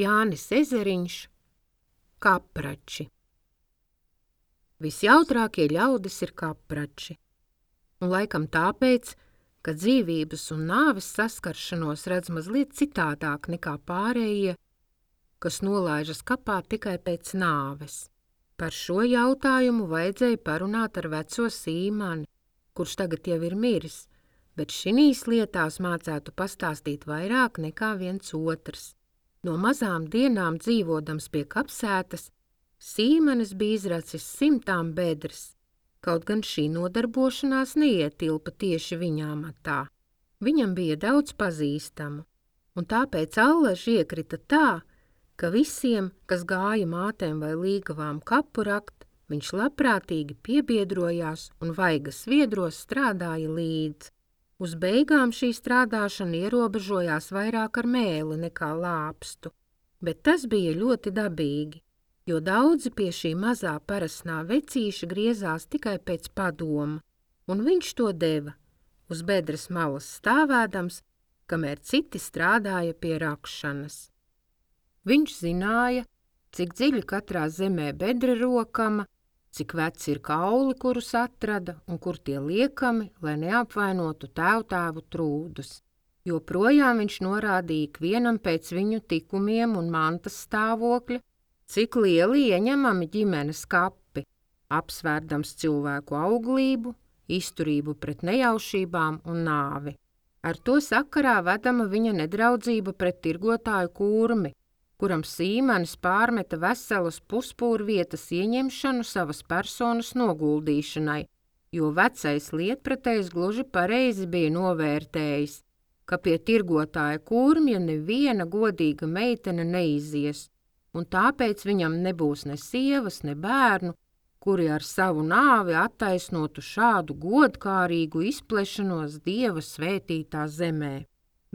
Jānis Ezeriņš, kaprači. Visjautrākie ļaudis ir kaprači, un laikam tāpēc, ka dzīvības un nāves saskaršanos redz mazliet citādāk nekā pārējie, kas nolaižas kapā tikai pēc nāves. Par šo jautājumu vajadzēja parunāt ar veco Sīmani, kurš tagad jau ir miris, bet šinīs lietās mācētu pastāstīt vairāk nekā viens otrs. No mazām dienām dzīvodams pie kapsētas, Sīmanis bija izracis 100 bedres, kaut gan šī nodarbošanās neietilpa tieši viņa amatā. Viņam bija daudz pazīstamu, un tāpēc allaži iekrita tā, ka visiem, kas gāja mātēm vai līgavām kapu rakt, viņš labprātīgi piebiedrojās un vaigas viedros strādāja līdz. Uz beigām šī strādāšana ierobežojās vairāk ar mēli nekā lāpstu, bet tas bija ļoti dabīgi, jo daudzi pie šī mazā parasnā vecīša griezās tikai pēc padoma, un viņš to deva, uz bedres malas stāvēdams, kamēr citi strādāja pie rakšanas. Viņš zināja, cik dziļi katrā zemē bedre rokama, cik veci ir kauli, kurus atrada, un kur tie liekami, lai neapvainotu tēvtēvu trūdus. Joprojām viņš norādīja ikvienam pēc viņu tikumiem un mantas stāvokļa, cik lieli ieņemami ģimenes kapi, apsvērdams cilvēku auglību, izturību pret nejaušībām un nāvi. Ar to sakarā vedama viņa nedraudzība pret tirgotāju Kurmi, kuram Sīmanis pārmeta veselas puspūrvietas ieņemšanu savas personas noguldīšanai, jo vecais lietpratējs gluži pareizi bija novērtējis, ka pie tirgotāja Kurmja neviena godīga meitene neizies, un tāpēc viņam nebūs ne sievas, ne bērnu, kuri ar savu nāvi attaisnotu šādu godkārīgu izplešanos Dieva svētītā zemē.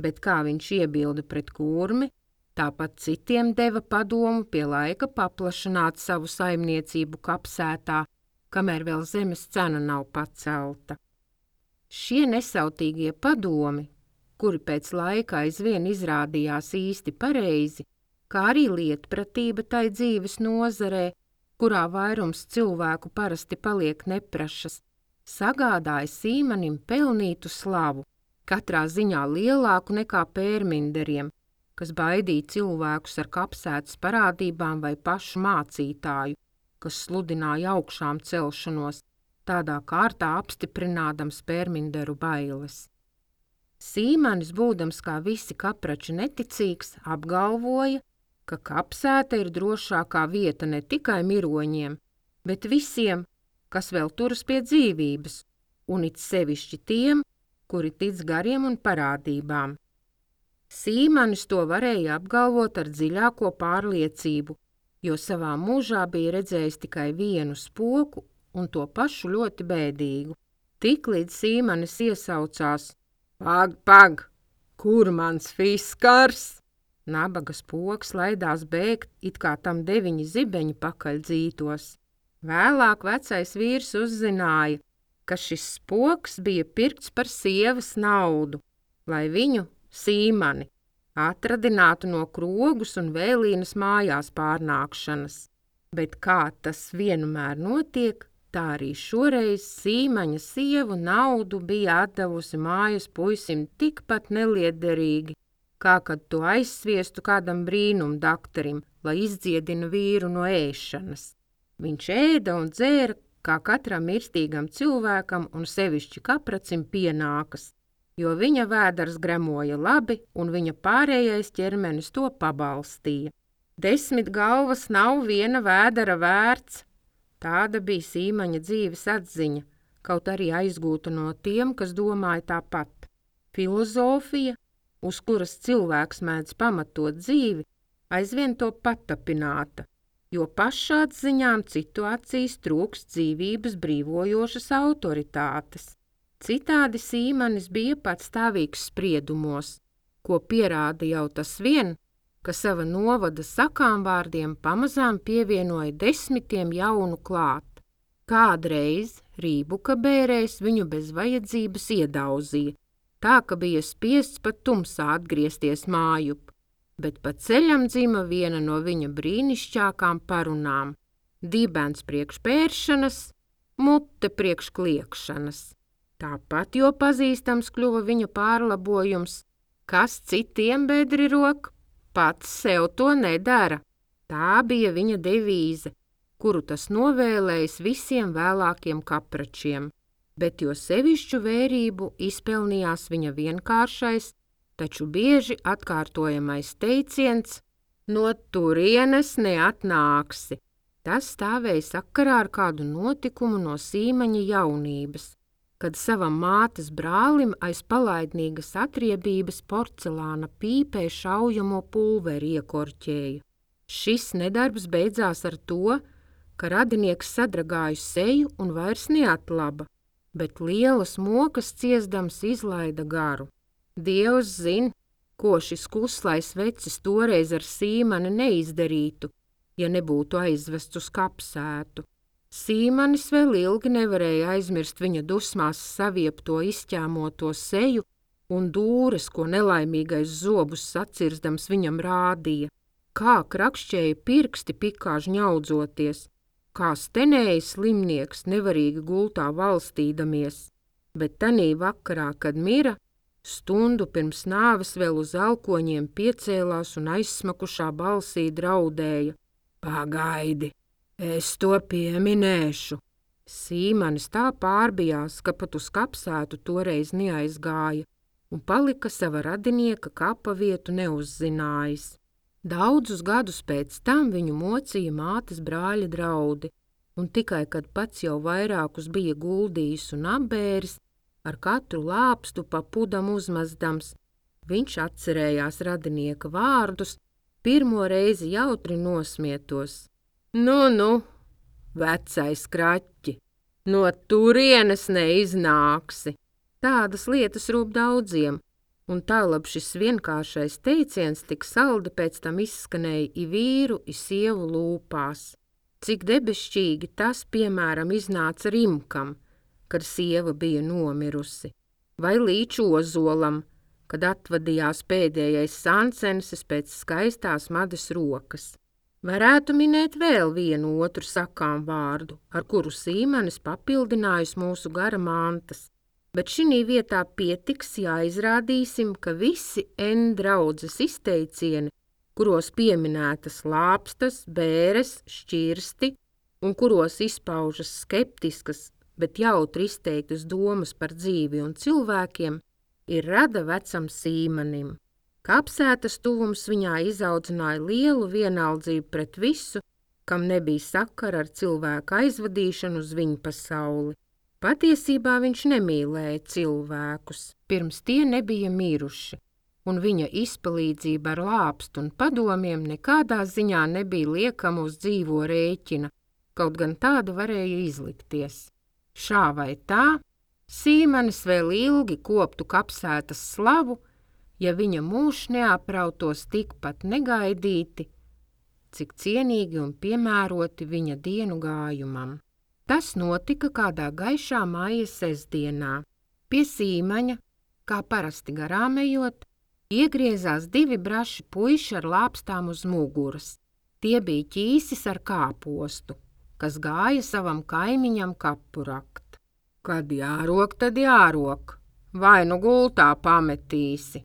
Bet kā viņš iebilda pret Kurmi, tāpat citiem deva padomu pie laika paplašināt savu saimniecību kapsētā, kamēr vēl zemes cena nav pacelta. Šie nesautīgie padomi, kuri pēc laika aizvien izrādījās īsti pareizi, kā arī lietpratība tai dzīves nozarē, kurā vairums cilvēku parasti paliek neprašas, sagādāja Sīmanim pelnītu slavu, katrā ziņā lielāku nekā pērminderiem, kas baidīja cilvēkus ar kapsētas parādībām vai pašu mācītāju, kas sludināja augšām celšanos, tādā kārtā apstiprinādams pērminderu bailes. Sīmanis, būdams kā visi kaprači neticīgs, apgalvoja, ka kapsēta ir drošākā vieta ne tikai miroņiem, bet visiem, kas vēl turas pie dzīvības, un it sevišķi tiem, kuri tic gariem un parādībām. Sīmanis to varēja apgalvot ar dziļāko pārliecību, jo savā mūžā bija redzējis tikai vienu spoku un to pašu ļoti bēdīgu. Tiklīdz Sīmanis iesaucās: Pag, kur mans fiskars? Nabaga spoks laidās bēgt, it kā tam 9 zibeņi pakaļ dzītos. Vēlāk vecais vīrs uzzināja, ka šis spoks bija pirkts par sievas naudu, lai viņu, Sīmani, atradinātu no krogus un vēlīnas mājās pārnākšanas. Bet kā tas vienmēr notiek, tā arī šoreiz Sīmaņa sievu naudu bija atdevusi mājas puisim tikpat neliederīgi, kā kad to aizsviestu kādam brīnumdaktarim, lai izdziedina vīru no ēšanas. Viņš ēda un dzēra, kā katram mirstīgam cilvēkam un sevišķi kapracim pienākas, jo viņa vēders gremoja labi un viņa pārējais ķermenis to pabalstīja. 10 galvas nav viena vēdera vērts. Tāda bija Sīmaņa dzīves atziņa, kaut arī aizgūta no tiem, kas domāja tāpat. Filozofija, uz kuras cilvēks mēdz pamatot dzīvi, aizvien to patapināta, jo pašatziņām citu acīs trūkst dzīvības brīvojošas autoritātes. Citādi Sīmanis bija patstāvīgs spriedumos, ko pierāda jau tas vien, ka sava novada sakām vārdiem pamazām pievienoja 10 jaunu klāt. Kādreiz Rībuka bērējs viņu bez vajadzības iedauzīja, tā ka bija spiests pat tumsā atgriezties mājup. bet pa ceļam dzima viena no viņa brīnišķākām parunām – dibens priekš pēršanas, mute priekš kliekšanas. Tāpat jau pazīstams kļuva viņa pārlabojums, kas citiem bedri rok, pats sev to nedara. Tā bija viņa devīze, kuru tas novēlējis visiem vēlākiem kapračiem, bet jo sevišķu vērību izpelnījās viņa vienkāršais, taču bieži atkārtojamais teiciens no turienes neatnāksi. Tas stāvēja sakarā ar kādu notikumu no Sīmaņa jaunības, kad savam mātes brālim aiz palaidnīgas atriebības porcelāna pīpē šaujamo pulveri iekorķēja. Šis nedarbs beidzās ar to, ka radinieks sadragāja seju un vairs neatlaba, bet lielas mokas ciesdams izlaida garu. Dievs zin, ko šis kuslais vecis toreiz ar Sīmani neizdarītu, ja nebūtu aizvests uz kapsētu. Sīmanis vēl ilgi nevarēja aizmirst viņa dusmās saviepto izķēmoto seju un dūres, ko nelaimīgais zobus sacirzdams viņam rādīja, kā krakšķēja pirksti pikā žņaudzoties, kā stenēja slimnieks nevarīgi gultā valstīdamies, bet tanī vakarā, kad mira, stundu pirms nāves vēl uz alkoņiem piecēlās un aizsmakušā balsī draudēja: Pagaidi, es to pieminēšu. Sīmanis tā pārbijās, ka pat uz kapsētu toreiz neaizgāja un palika sava radinieka kapa vietu neuzzinājis. Daudzus gadus pēc tam viņu mocīja mātes brāļa draudi, un tikai, kad pats jau vairākus bija guldījis un apbēris, ar katru lāpstu pa pudam uzmazdams, viņš atcerējās radinieka vārdus, pirmo reizi jautri nosmietos. Nu, vecais kraķi, no turienes neiznāksi. Tādas lietas rūp daudziem, un tālab šis vienkāršais teiciens tik saldi pēc tam izskanēja i vīru, i sievu lūpās. Cik debešķīgi tas, piemēram, iznāca Rimkam, kad sieva bija nomirusi, vai Līču Ozolam, kad atvadījās pēdējais sancenses pēc skaistās Madas rokas. Varētu minēt vēl vienu otru sakām vārdu, ar kuru Sīmanis papildinājis mūsu gara mantas, bet šinī vietā pietiks, ja izrādīsim, ka visi draudzes izteicieni, kuros pieminētas lāpstas, bēres, šķirsti un kuros izpaužas skeptiskas, bet jautri izteiktas domas par dzīvi un cilvēkiem, ir rada vecam Sīmanim. Kapsētas tuvums viņā izaudzināja lielu vienaldzību pret visu, kam nebija sakara ar cilvēku aizvadīšanu uz viņu pasauli. Patiesībā viņš nemīlēja cilvēkus, pirms tie nebija miruši, un viņa izpalīdzība ar lāpstu un padomiem nekādā ziņā nebija liekama uz dzīvo rēķina, kaut gan tāda varēja izlikties. Šā vai tā, Sīmanis vēl ilgi koptu kapsētas slavu, ja viņa mūžs neaprautos tikpat negaidīti, cik cienīgi un piemēroti viņa dienu gājumam. Tas notika kādā gaišā māja sestdienā. Pie Sīmaņa, kā parasti garām ejot, iegriezās divi braši puiši ar lāpstām uz muguras. Tie bija ķīsis ar kāpostu, kas gāja savam kaimiņam kapu rakt. Kad jārok, tad jārok, vai nu gultā pametīsi,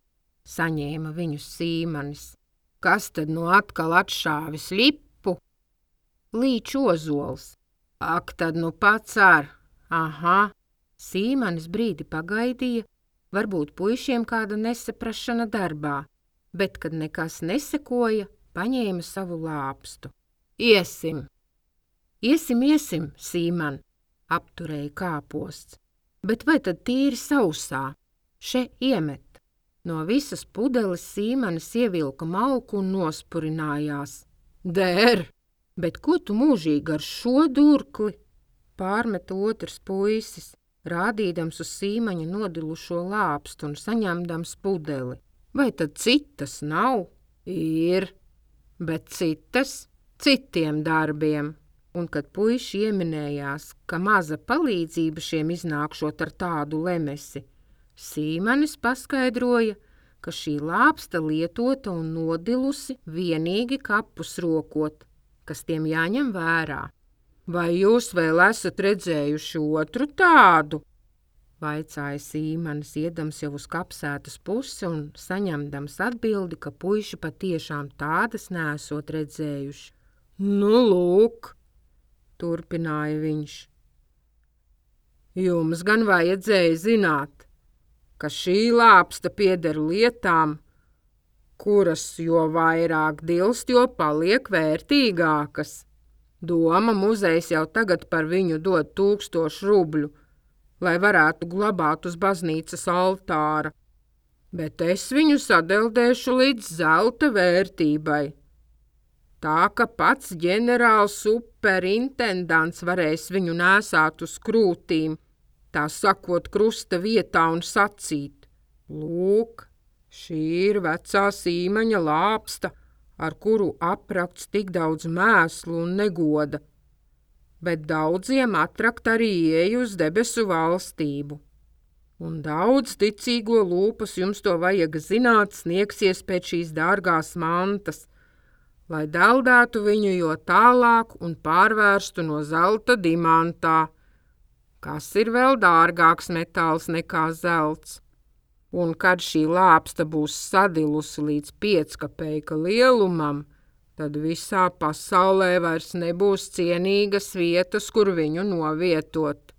saņēma viņus Sīmanis. Kas tad nu atkal atšāvis lipu? Līču Ozols. Ak, tad nu pats ar. Aha. Sīmanis brīdi pagaidīja, varbūt puišiem kāda nesaprašana darbā, bet, kad nekas nesekoja, paņēma savu lāpstu. Iesim, Sīman, apturēja kāposts. Bet vai tad tīri sausā? Še iemet. No visas pudeles Sīmanis ievilka malku un nospurinājās. Der, bet ko tu mūžīgi ar šo durkli? Pārmeta otrs puisis, rādīdams uz Sīmaņa nodilušo lāpstu un saņemdams pudeli. Vai tad citas nav? Ir, bet citas citiem darbiem. Un kad puiši ieminējās, ka maza palīdzība šiem iznākšot ar tādu lemesi, Sīmanis paskaidroja, ka šī lāpsta lietota un nodilusi vienīgi kapus rokot, kas tiem jāņem vērā. Vai jūs vēl esat redzējuši otru tādu? Vaicāja Sīmanis, iedams jau uz kapsētas pusi un saņemdams atbildi, ka puiši patiešām tādas neesot redzējuši. Nu, lūk, turpināja viņš. Jums gan vajadzēja zināt, ka šī lāpsta pieder lietām, kuras jo vairāk dilst, jo paliek vērtīgākas. Doma muzejs jau tagad par viņu dod 1000 rubļu, lai varētu glabāt uz baznīcas altāra, bet es viņu sadeldēšu līdz zelta vērtībai. Tā, ka pats ģenerāls superintendants varēs viņu nēsāt uz krūtīm, tā sakot krusta vietā un sacīt: lūk, šī ir vecā Sīmaņa lāpsta, ar kuru aprakts tik daudz mēslu un negoda, bet daudziem atrakt arī ieeju uz debesu valstību. Un daudz ticīgo lūpas, jums to vajag zināt, sniegsies pēc šīs dārgās mantas, lai deldētu viņu jo tālāk un pārvērstu no zelta dimantā, kas ir vēl dārgāks metāls nekā zelts. Un kad šī lāpsta būs sadilusi līdz 5 kapeika lielumam, tad visā pasaulē vairs nebūs cienīgas vietas, kur viņu novietot.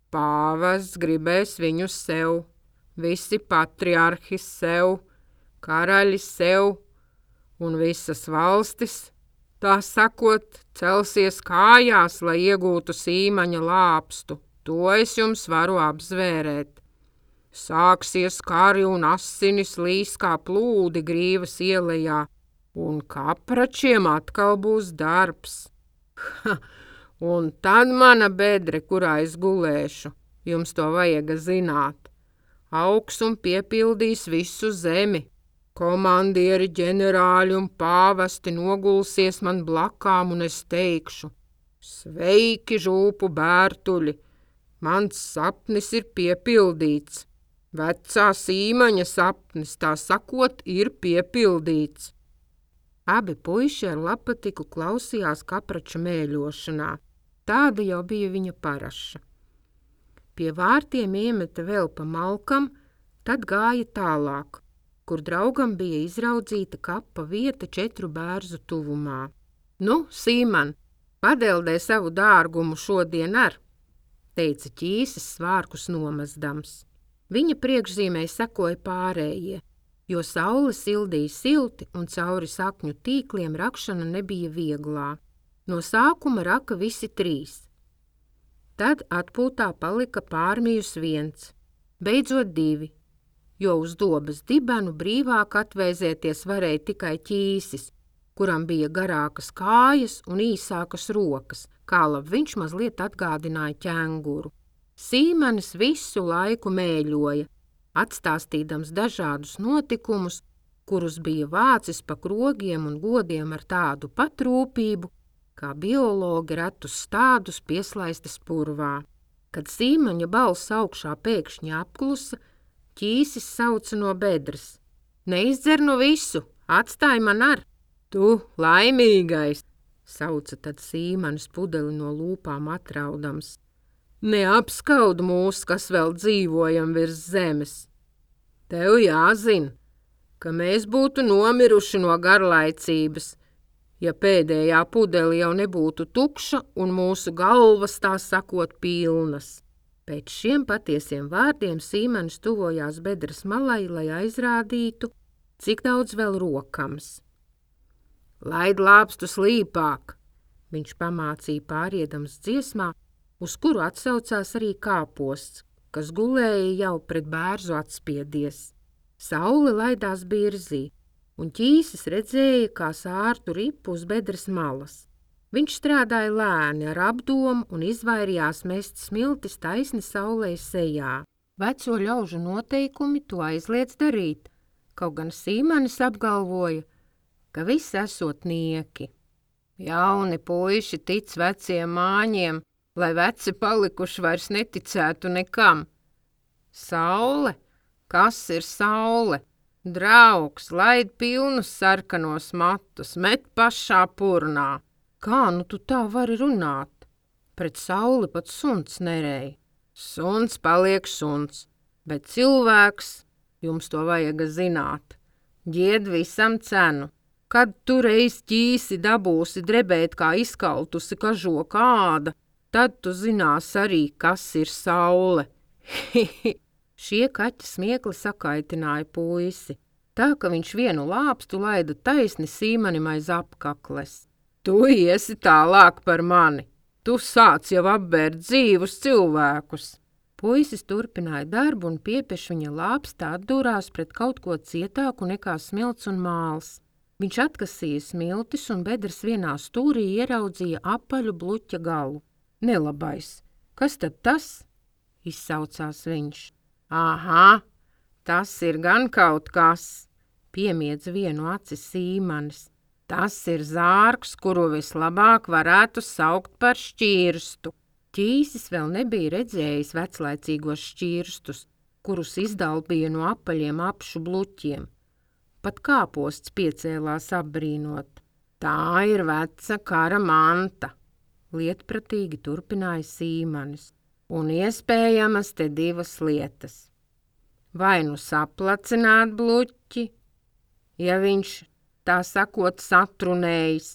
Pāvests gribēs viņu sev, visi patriarhi sev, karaļi sev, un visas valstis, tā sakot, celsies kājās, lai iegūtu Sīmaņa lāpstu. To es jums varu apzvērēt. Sāksies kari un asinis līs kā plūdi Grīvas ielejā, un kapračiem atkal būs darbs. Un tad mana bedre, kurā es gulēšu, jums to vajag zināt, augs un piepildīs visu zemi. Komandieri, ģenerāļi un pāvesti nogulsies man blakām, un es teikšu: sveiki, žūpu bērtuļi, mans sapnis ir piepildīts. Vecā Sīmaņa sapnis, tā sakot, ir piepildīts. Abi puiši ar lapatiku klausījās kaprača mēļošanā. Tāda jau bija viņa paraša. Pie vārtiem iemeta vēl pa malkam, tad gāja tālāk, kur draugam bija izraudzīta kapa vieta 4 bērzu tuvumā. Nu, Sīman, padeldē savu dārgumu šodien ar, teica ķīsis svārkus nomazdams. Viņa priekšzīmei sekoja pārējie, jo saule sildīja silti un cauri sakņu tīkliem rakšana nebija vieglā. No sākuma raka visi 3. Tad atpūtā palika pārmijus 1, beidzot 2, jo uz dobas dibenu brīvāk atvēzēties varēja tikai ķīsis, kuram bija garākas kājas un īsākas rokas, kā viņš mazliet atgādināja ķenguru. Sīmanis visu laiku mēļoja, atstāstīdams dažādus notikumus, kurus bija vācis pa krogiem un godiem ar tādu pat rūpību, kā biologi retus stādus pieslaistas purvā. Kad Sīmaņa balss augšā pēkšņi apklusa, ķīsis sauca no bedres: Neizdzer nu visu, atstāj man ar! Tu, laimīgais, sauca tad Sīmanis pudeli no lūpām atraudams. Neapskaud mūs, kas vēl dzīvojam virs zemes. Tev jāzina, ka mēs būtu nomiruši no garlaicības, ja pēdējā pudeli jau nebūtu tukša un mūsu galvas, tā sakot, pilnas. Pēc šiem patiesiem vārdiem Sīmanis tuvojās bedres malai, lai aizrādītu, cik daudz vēl rokams. Laid lāpstu slīpāk, viņš pamācīja pāriedams dziesmā, uz kuru atsaucās arī kāposts, kas gulēja jau pret bērzu atspiedies. Saule laidās birzī, un ķīsis redzēja, kā sārtu ripu uz bedres malas. Viņš strādāja lēni ar apdomu un izvairījās mest smiltis taisni saulei sejā. Veco ļaužu noteikumi to aizliedz darīt, kaut gan Sīmanis apgalvoja, ka viss esot nieki. Jauni puiši tic veciem māņiem, lai veci palikuši vairs neticētu nekam. Saule? Kas ir saule? Draugs, laid pilnus sarkanos matus, met pašā purnā. Kā nu tu tā vari runāt? Pret sauli pat suns nerej. Suns paliek suns, bet cilvēks, jums to vajag zināt, ģied visam cenu. Kad tu reiz ķīsi dabūsi drebēt kā izkaltusi kažoka āda, tad tu zinās arī, kas ir saule. Šie kaķa smiekli sakaitināja puisi, tā ka viņš vienu lāpstu laida taisni Sīmanim aiz apkakles. Tu iesi tālāk par mani, tu sāc jau apbērt dzīvus cilvēkus. Puisis turpināja darbu un piepeš viņa lāpstā atdūrās pret kaut ko cietāku nekā smilts un māls. Viņš atkasīja smiltis un bedres vienā stūrī ieraudzīja apaļu bluķa galu. Nelabais, kas tad tas? Izsaucās viņš. Aha, tas ir gan kaut kas, piemiedz vienu aci Sīmanis. Tas ir zārks, kuru vislabāk varētu saukt par šķirstu. Ķīsis vēl nebija redzējis veclaicīgos šķirstus, kurus izdalbīja no apaļiem apšu bluķiem. Pat kāposts piecēlās apbrīnot. Tā ir veca kara manta, lietpratīgi turpināja Sīmanis. Un iespējamas te divas lietas. Vai nu saplacināt bluķi, ja viņš, tā sakot, satrunējis,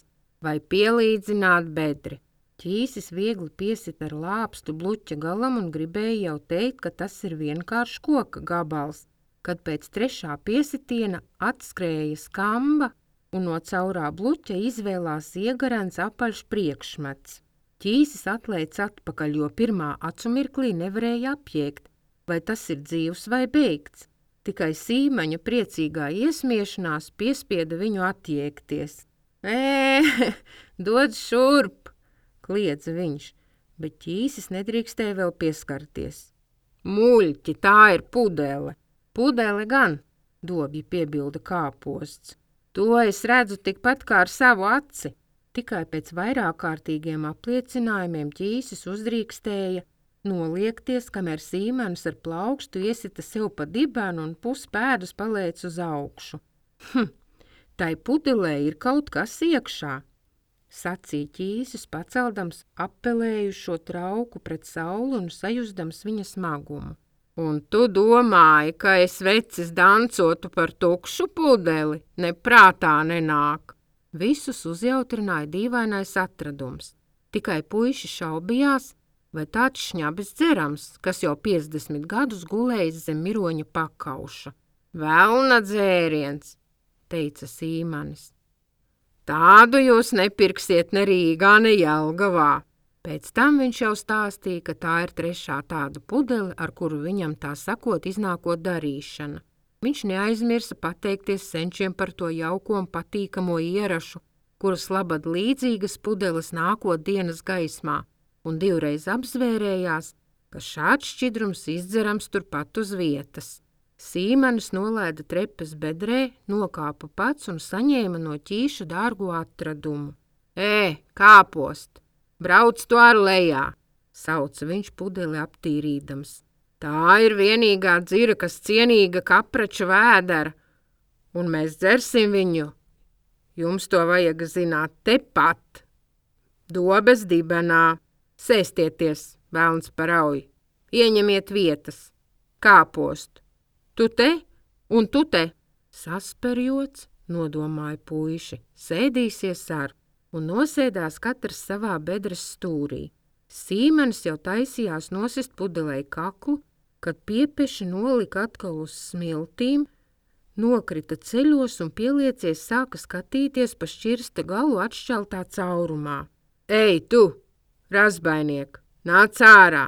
vai pielīdzināt bedri. Ķīsis viegli piesit ar lāpstu bluķa galam un gribēja jau teikt, ka tas ir vienkārši koka gabals, kad pēc trešā piesitiena atskrēja skamba un no caurā bluķa izvēlās iegarens apaļš priekšmets. Ķīsis atlēc atpakaļ, jo pirmā acumirklī nevarēja apjēgt, vai tas ir dzīvs vai beigts. Tikai Sīmaņa priecīgā iesmiešanās piespieda viņu atjēgties. Dod šurp, kliedza viņš, bet ķīsis nedrīkstēja vēl pieskarties. Muļķi, tā ir pudele. Pudele gan, dobji piebilda kāposts. To es redzu tikpat kā ar savu aci. Tikai pēc vairāk kārtīgiem apliecinājumiem ķīsis uzdrīkstēja noliekties, kamēr Sīmanis ar plaukstu iesita sev pa dibenu un puspēdus palēc uz augšu. Tai pudelē ir kaut kas iekšā, sacīja ķīsis, paceldams appelējušo trauku pret sauli un sajustams viņa smagumu. Un tu domāji, ka es vecis dancotu par tukšu pudeli? Neprātā nenāk. Visus uzjautrināja dīvainais atradums. Tikai puiši šaubījās, vai tāds šņabis dzerams, kas jau 50 gadus gulējis zem miroņa pakauša. Velna dzēriens, teica Sīmanis. Tādu jūs nepirksiet ne Rīgā, ne Jelgavā. Pēc tam viņš jau stāstīja, ka tā ir trešā tāda pudele, ar kuru viņam tā sakot iznākot darīšana. Viņš neaizmirsa pateikties senčiem par to jauko un patīkamo ierašu, kuras labad līdzīgas pudeles nākot dienas gaismā, un divreiz apzvērējās, ka šāds šķidrums izdzerams turpat uz vietas. Sīmanis nolaida trepes bedrē, nokāpa pats un saņēma no ķīša dārgu atradumu. Kāpost, brauc to ar lejā, sauca viņš pudeli aptīrīdams. Tā ir vienīgā dzira, kas cienīga kaprača vēdera, un mēs dzersim viņu. Jums to vajag zināt tepat. Dobes dibenā. Sēstieties, velns parauj. Ieņemiet vietas. Kāpost. Tu te un tu te. Sasperjots, nodomāja puiši, sēdīsies ar un nosēdās katrs savā bedres stūrī. Sīmanis jau taisījās nosist pudelei kaklu, kad piepeši nolika atkal uz smiltīm, nokrita ceļos un pieliecies sāka skatīties pa šķirsta galu atšķeltā caurumā. Ei, tu, razbainiek, nāc ārā!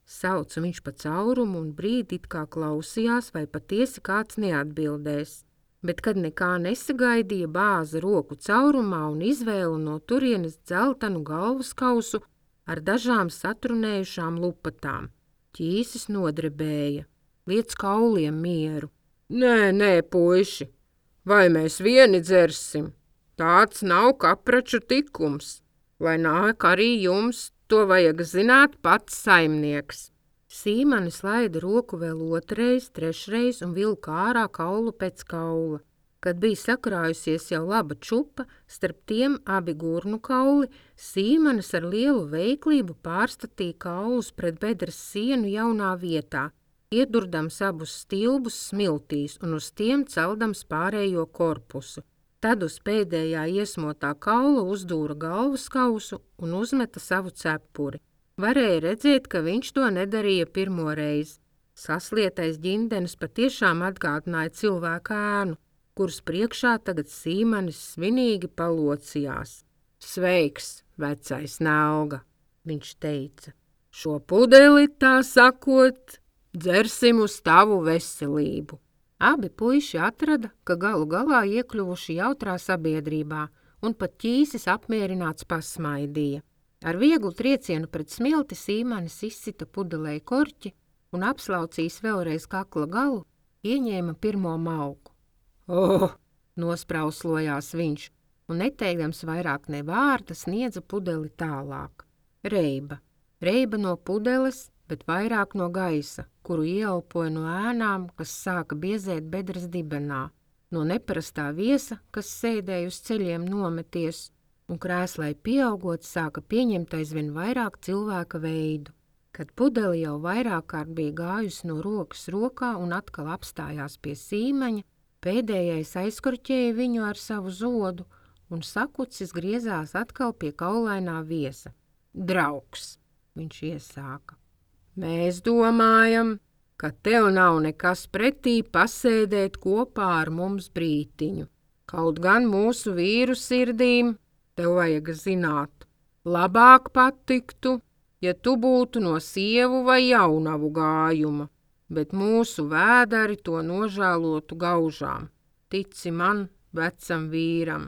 Sauca viņš pa caurumu un brīdi it kā klausījās, vai patiesi kāds neatbildēs. Bet, kad nekā nesagaidīja, bāza roku caurumā un izvēla no turienes dzeltenu galvaskausu ar dažām satrunējušām lupatām. Ķīsis nodrebēja, liec kauliem mieru. Nē, puiši, vai mēs vieni dzersim? Tāds nav kapraču tikums. Lai nāk arī jums, to vajag zināt pats saimnieks. Sīmanis laida roku vēl otrais, trešreiz un vilka ārā kaulu pēc kaula. Kad bija sakrājusies jau laba čupa, starp tiem abi gurnu kauli, Sīmanis ar lielu veiklību pārstatīja kaulus pret bedres sienu jaunā vietā, iedurdams abus stilbus smiltīs un uz tiem celdams pārējo korpusu. Tad uz pēdējā iesmotā kaula uzdūra galvas kausu un uzmeta savu cepuri. Varēja redzēt, ka viņš to nedarīja pirmo reizi. Saslietais ģindenis patiešām atgādināja cilvēku ēnu, kuras priekšā tagad Sīmanis svinīgi palocījās. Sveiks, vecais Nelga, viņš teica. Šo pudeli, tā sakot, dzersim uz tavu veselību. Abi puiši atrada, ka galu galā iekļuvuši jautrā sabiedrībā, un pat ķīsis apmierināts pasmaidīja. Ar vieglu triecienu pret smilti Sīmanis izsita pudelei korķi un apslaucījis vēlreiz kakla galu, ieņēma pirmo mauku. Nosprauslojās viņš, un neteikdams vairāk ne vārda sniedza pudeli tālāk. Reiba no pudeles, bet vairāk no gaisa, kuru ieelpoja no ēnām, kas sāka biezēt bedres dibenā, no neparastā viesa, kas sēdēja uz ceļiem nometies, un krēslai pieaugot sāka pieņemt aizvien vairāk cilvēka veidu. Kad pudeli jau vairāk kārt bija gājusi no rokas rokā un atkal apstājās pie Sīmaņa, pēdējais aizkorķēja viņu ar savu zodu, un sakucis griezās atkal pie kaulainā viesa. Draugs, viņš iesāka. Mēs domājam, ka tev nav nekas pretī pasēdēt kopā ar mums brītiņu. Kaut gan mūsu vīru sirdīm, tev vajag zināt, labāk patiktu, ja tu būtu no sievu vai jaunavu gājuma, bet mūsu vēdari to nožēlotu gaužām. Tici man, vecam vīram,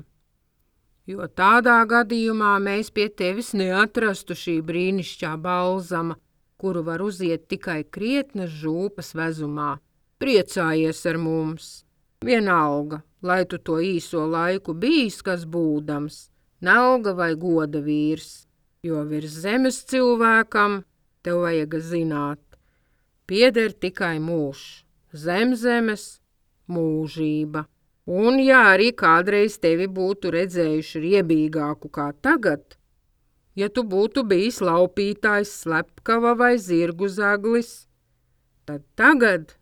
jo tādā gadījumā mēs pie tevis neatrastu šī brīnišķā balzama, kuru var uziet tikai krietnas žūpas vezumā. Priecājies ar mums! Vienalga, lai tu to īso laiku bijis, kas būdams, Nelga vai goda vīrs, jo virs zemes cilvēkam, tev vajag zināt, pieder tikai mūžs, zem zemes mūžība. Un ja arī kādreiz tevi būtu redzējuši riebīgāku kā tagad, ja tu būtu bijis laupītājs, slepkava vai zirgu zaglis, tad tagad,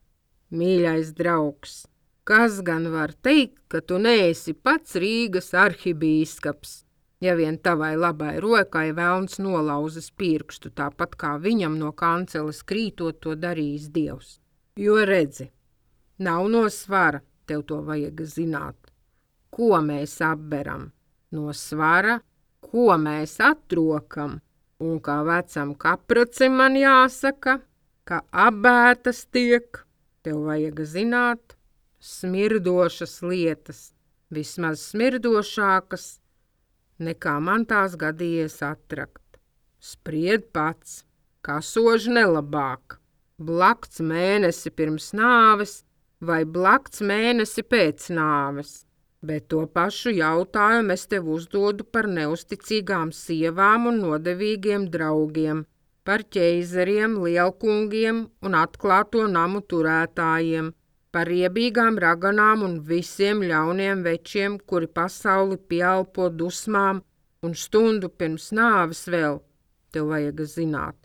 mīļais draugs, kas gan var teikt, ka tu neesi pats Rīgas arhibīskaps, ja vien tavai labai rokai velns nolauzis pirkstu, tāpat kā viņam no kanceles krītot to darījis Dievs. Jo redzi, nav no svara, tev to vajag zināt. Ko mēs apberam? No svara, ko mēs atrokam? Un kā vecam kapracim man jāsaka, ka abētas tiek, tev vajag zināt, smirdošas lietas, vismaz smirdošākas, nekā man tās gadījies atrakt. Spried pats, kasoži nelabāk, blakts mēnesi pirms nāves vai blakts mēnesi pēc nāves, bet to pašu jautājumu es tev uzdodu par neusticīgām sievām un nodevīgiem draugiem, par ķeizariem, lielkungiem un atklāto namu turētājiem, par riebīgām raganām un visiem ļauniem večiem, kuri pasauli pieelpo dusmām un stundu pirms nāves vēl, tev vajag zināt.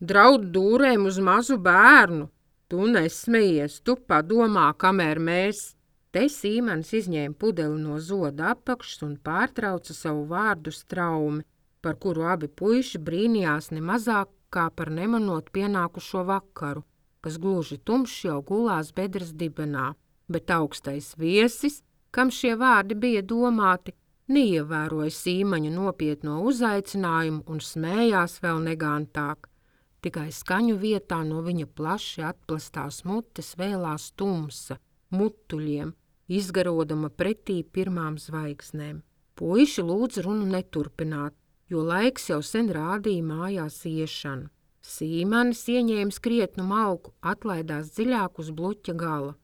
Draud dūrēm uz mazu bērnu, tu nesmejies, tu padomā, kamēr mēs. Te Sīmanis izņēma pudeli no zoda apakšas un pārtrauca savu vārdu straumi, par kuru abi puiši brīnījās nemazāk kā par nemanot pienākušo vakaru, kas gluži tumšs jau gulās bedres dibenā, bet augstais viesis, kam šie vārdi bija domāti, neievēroja Sīmaņa nopietno uzaicinājumu un smējās vēl negantāk. Tikai skaņu vietā no viņa plaši atplastās mutes vēlās tumsa, mutuļiem, izgarodama pretī pirmām zvaigznēm. Puiši lūdza runu neturpināt, jo laiks jau sen rādīja mājās iešanu. Sīmanis ieņēma krietnu malku, atlaidās dziļāk uz bluķa gala.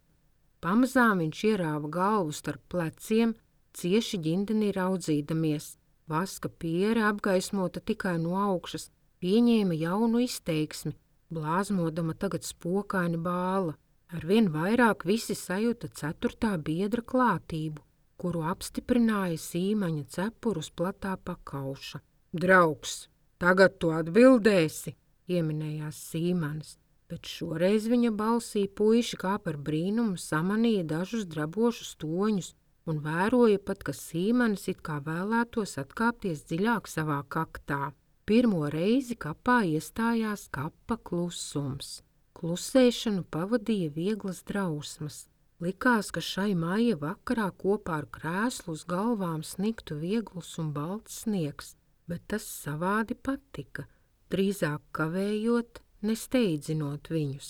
Pamazām viņš ierāva galvu starp pleciem, cieši ģindenī raudzīdamies. Vaska piere apgaismota tikai no augšas, pieņēma jaunu izteiksmi, blāzmodama tagad spokaini bāla. Arvien vairāk visi sajūta 4. biedra klātību, kuru apstiprināja Sīmaņa cepurus platā pakauša. Draugs, tagad tu atbildēsi, ieminējās Sīmanis, bet šoreiz viņa balsī puiši kā par brīnumu samanīja dažus drabošus toņus un vēroja pat, ka Sīmanis it kā vēlētos atkāpties dziļāk savā kaktā. Pirmo reizi kapā iestājās kapa klusums. Klusēšanu pavadīja vieglas drausmas. Likās, ka šai maija vakarā kopā ar krēslu uz galvām sniktu viegls un balts sniegs, bet tas savādi patika, drīzāk kavējot, nesteidzinot viņus.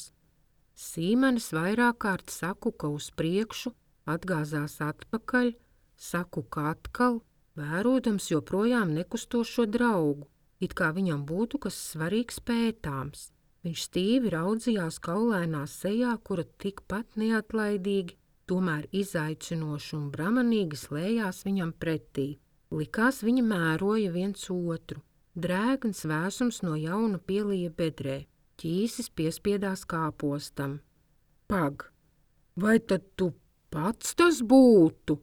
Sīmanis vairāk kārt sakuka uz priekšu, atgāzās atpakaļ, sakuka atkal, vērodams joprojām nekustošo draugu, it kā viņam būtu kas svarīgs pētāms. Viņš stīvi raudzījās kaulainā sejā, kura tikpat neatlaidīgi, tomēr izaicinoši un bramanīgi slējās viņam pretī. Likās, viņi mēroja viens otru. Drēgns vēsums no jauna pielija bedrē. Ķīsis piespiedās kāpostam. Pag, vai tad tu pats tas būtu?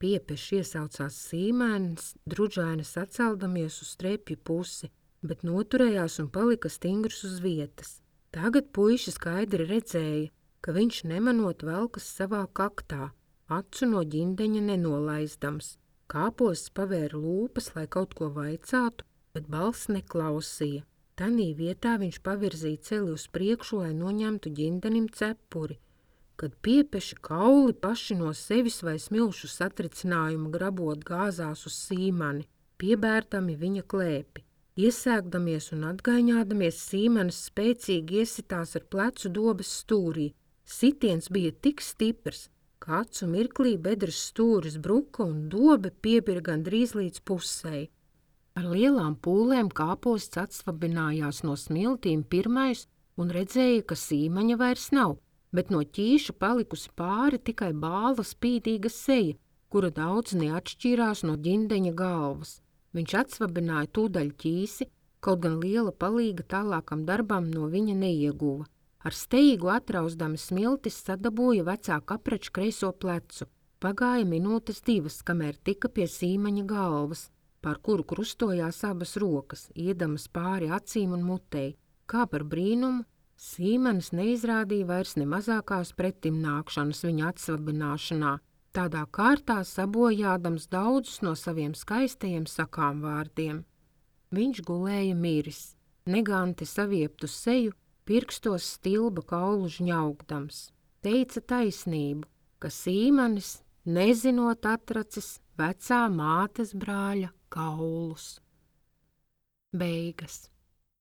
Piepeši iesaucās Sīmanis, drudžaini saceldamies uz strepju pusi, bet noturējās un palika stingrs uz vietas. Tagad puiši skaidri redzēja, ka viņš nemanot velkas savā kaktā, acu no ģindeņa nenolaizdams. Kāposts pavēra lūpas, lai kaut ko vaicātu, bet balss neklausīja. Tanī vietā viņš pavirzīja celi uz priekšu, lai noņemtu ģindenim cepuri, kad piepeši kauli paši no sevis vai smilšu satricinājuma grabot gāzās uz Sīmani, piebērtami viņa klēpi. Iesēgdamies un atgaiņādamies, Sīmanis spēcīgi iesitās ar plecu dobes stūrī. Sitiens bija tik stiprs, ka acu mirklī bedres stūris bruka un dobe piebira gandrīz līdz pusei. Ar lielām pūlēm kāposts atsvabinājās no smiltīm pirmais un redzēja, ka Sīmaņa vairs nav, bet no ķīša palikusi pāri tikai bāla spīdīga seja, kura daudz neatšķīrās no ģindeņa galvas. Viņš atsvabināja tūdaļ ķīsi, kaut gan liela palīga tālākam darbam no viņa neieguva. Ar steigu atrauzdami smiltis sadabūja vecā kaprača kreiso plecu. Pagāja minūtes 2, kamēr tika pie Sīmaņa galvas, pār kuru krustojās abas rokas, iedamas pāri acīm un mutei. Kā par brīnumu, Sīmanis neizrādīja vairs ne mazākās pretimnākšanas viņa atsvabināšanā, tādā kārtā sabojādams daudzus no saviem skaistajiem sakām vārdiem. Viņš gulēja miris, neganti savieptu seju, pirkstos stilba kaulu žņaugdams. Teica taisnību, ka Sīmanis, nezinot atracis vecā mātes brāļa kaulus. Beigas.